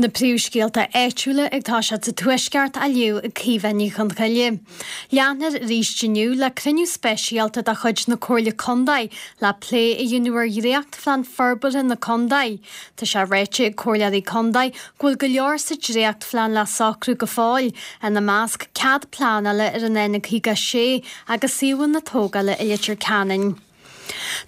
Na príomhscéalta áitiúla ag toiseacht sa Tuaisceart á léamh ag Caoimhe Ní Chonchoille. Leanfar arís inniu le cruinniú speisialta de chuid na Comhairle Contae le plé a dhéanamh ar dhréachtphlean forbartha na contae. Tá sé ráite ag comhairleoirí contae go bhfuil go leor sa dréachtphlean le socrú go fóill, ina measc cead pleanála ar an N56 agus suíomhanna tógála i Leitir Ceanainn.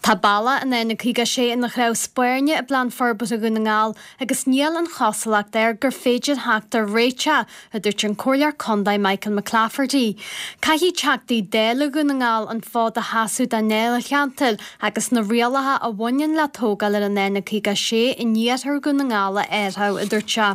Tá bealach an N56 ina chnámh spairne i bPlean Forbartha Dhún na nGall agus níl an chosúlacht air gur féidir theacht ar réiteach, a dúirt an Comhairleoir Contae Michael McClafferty. Caithfidh Teachtaí Dála Dhún na nGall an fód a sheasamh dá ndáilcheantar agus na rialacha a bhaineann le tógáil ar an N56 in iarthar Dhún na nGall a athrú, a dúirt sé.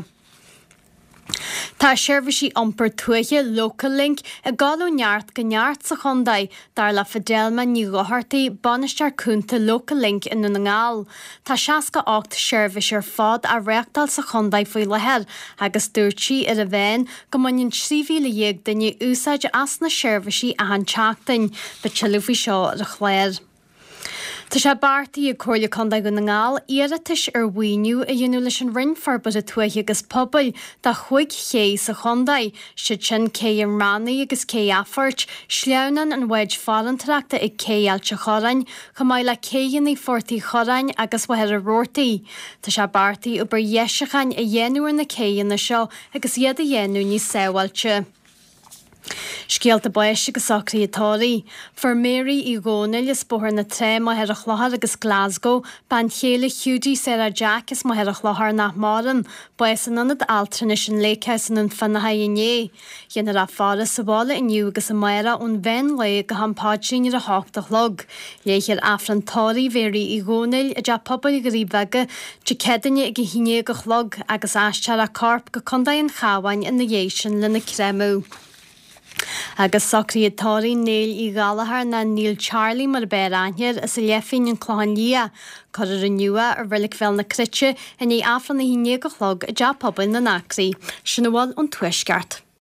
Tá seirbhísí iompair tuaithe Local Link ag dul ó neart go neart sa chontae, dar le Fidelma Ní Dhochartaigh, Bainisteoir Cúnta Local Link i nDún na nGall. Tá 68 seirbhís ar fad á reáchtáil sa chontae faoi láthair agus dúirt sí ar an mheán go mbaineann 13,000 duine úsáid as na seirbhísí achan tseachtain. Beidh tuilleadh faoi seo ar an chlár. Tá sé beartaithe ag Comhairle Contae Dhún na nGall iarratais ar mhaoiniú a dhéanamh leis an Roinn Forbartha Tuaithe agus Pobail do chúig ché sa chontae, siad sin Cé an Raonaigh agus Cé Athphoirt, sleamhnán an bháid farantóireachta ag Cé Ailt a' Chorráin, chomh maith le céidheanna Phort Uí Chorráin agus Mhachaire Rabhartaigh. Tá sé beartaithe obair dheisiúcháin a dhéanamh ar na céidheanna seo agus iad a dhéanamh níos sábháilte. Scéalta báis agus socruithe tórraimh. Fuair Mary Uí Dhónaill as Bóthar na Trá, Machaire Chlochair agus Glasgow, bean chéile Hiúdaí Sarah Jack as Machaire Chlochair nach maireann, bás in Ionad Altranais an Lakehouse i nDún Fionnachaidh inné. Déanfar í a fhaire sa bhaile inniu agus amárach ón mheán lae go ham paidrín ar a hocht a chlog. Léifear Aifreann tórraimh Mhary Uí Dhónaill i dTeach Pobail Dhoirí Bheaga Dé Céadaoine ag 11 a chlog agus aistreofar a corp go Contae an Chabháin ina dhiaidh sin lena créamadh. Agus socruithe tórraimh Néill Uí Ghallchóir nó Neil Charlie mar ab fhearr aithne air as an Leifín, An Clochán Liath. Cuirfear inniu é i Reilig Bhéal na Cruite i ndiaidh Aifreann a 11 a chlog i dTeach Pobail na nAcraí. Sin a bhfuil ón Tuaisceart.